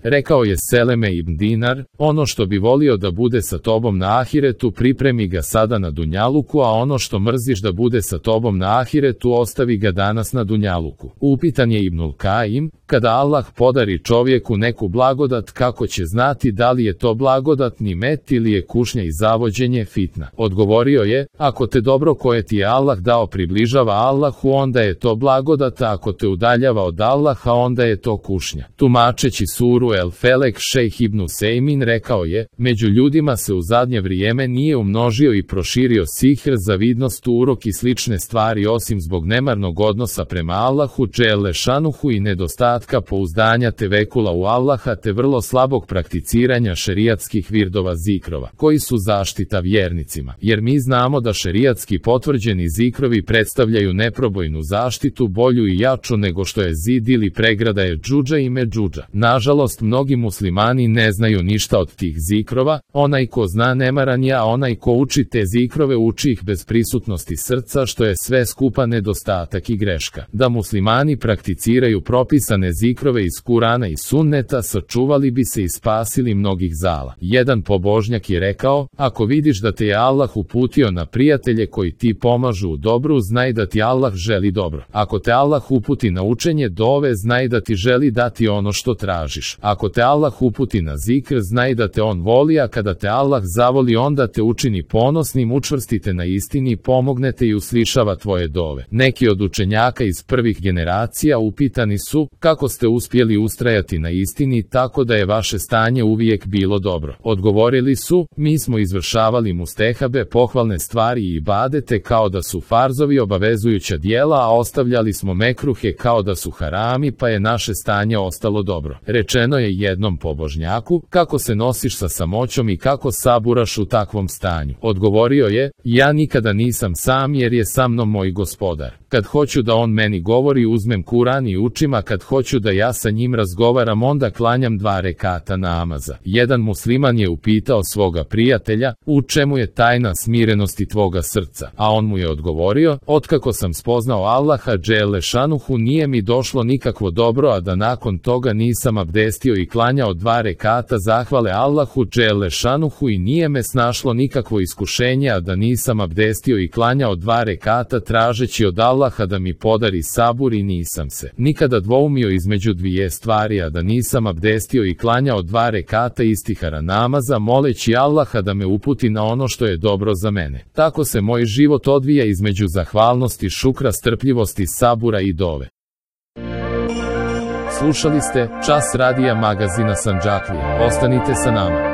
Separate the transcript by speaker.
Speaker 1: rekao je Seleme ibn Dinar, ono što bi volio da bude sa tobom na ahiretu pripremi ga sada na dunjaluku, a ono što mrziš da bude sa tobom na ahiretu ostavi ga danas na dunjaluku. Upitan je Ibnul Kaim, kada Allah podari čovjeku neku blagodat, kako će znati da li je to blagodat nimet ili je kušnja i zavođenje fitna? Odgovorio je, ako te dobro koje ti je Allah dao približava Allahu, onda je to blagodat, a ako te udaljava od Allaha, onda je to kušnja. Tumačeći suru El Felek, šejh Ibn Usejmin rekao je, među ljudima se u zadnje vrijeme nije umnožio i proširio sihr, zavidnost, urok i slične stvari osim zbog nemarnog odnosa prema Allahu dželle šanuhu i nedostatka pouzdanja tevekula u Allaha te vrlo slabog prakticiranja šerijatskih virdova zikrova, koji su zaštita vjernicima, jer mi znamo da šerijatski potvrđeni zikrovi predstavljaju neprobojnu zaštitu, bolju i jaču nego što je zid ili pregrada je džudža i međudža. Nažalost, mnogi muslimani ne znaju ništa od tih zikrova, onaj ko zna nemaran je, a onaj ko uči te zikrove uči ih bez prisutnosti srca, što je sve skupa nedostatak i greška. Da muslimani prakticiraju propisane zikrove iz Kurana i Sunneta, sačuvali bi se i spasili mnogih zala. Jedan pobožnjak je rekao, ako vidiš da te je Allah uputio na prijatelje koji ti pomažu u dobru, znaj da ti Allah želi dobro. Ako te Allah uputi na učenje dove, znaj da ti želi dati ono što tražiš. Ako te Allah uputi na zikr, znaj da te on voli, a kada te Allah zavoli, onda te učini ponosnim, učvrstite na istini, pomognete i uslišava tvoje dove. Neki od učenjaka iz prvih generacija upitani su, kako ste uspjeli ustrajati na istini tako da je vaše stanje uvijek bilo dobro? Odgovorili su, mi smo izvršavali mustehabe, pohvalne stvari i ibadete kao da su farzovi, obavezujuća djela, a ostavljali smo mekruhe kao da su harami, pa je naše stanje ostalo dobro. Rečeno je jednom pobožnjaku, kako se nosiš sa samoćom i kako saburaš u takvom stanju? Odgovorio je, ja nikada nisam sam jer je sa mnom moj gospodar. Kad hoću da on meni govori, uzmem Kuran i učim, a kad hoću da ja sa njim razgovaram, onda klanjam 2 rekata namaza. Jedan musliman je upitao svoga prijatelja, u čemu je tajna smirenosti tvoga srca? A on mu je odgovorio, otkako sam spoznao Allaha dželle šanuhu, nije mi došlo nikakvo dobro, a da nakon toga nisam abdestio i klanjao 2 rekata zahvale Allahu dželle šanuhu i nije me snašlo nikakvo iskušenje, a da nisam abdestio i klanjao 2 rekata tražeći od Allaha da mi podari sabur i nisam se nikada dvoumio između dvije stvari, a da nisam abdestio i klanjao 2 rekata istihara namaza moleći Allaha da me uputi na ono što je dobro za mene. Tako se moj život odvija između zahvalnosti, šukra, strpljivosti, sabura i dove. Slušali ste Čas radija magazina Sandžaklija. Ostanite sa nama.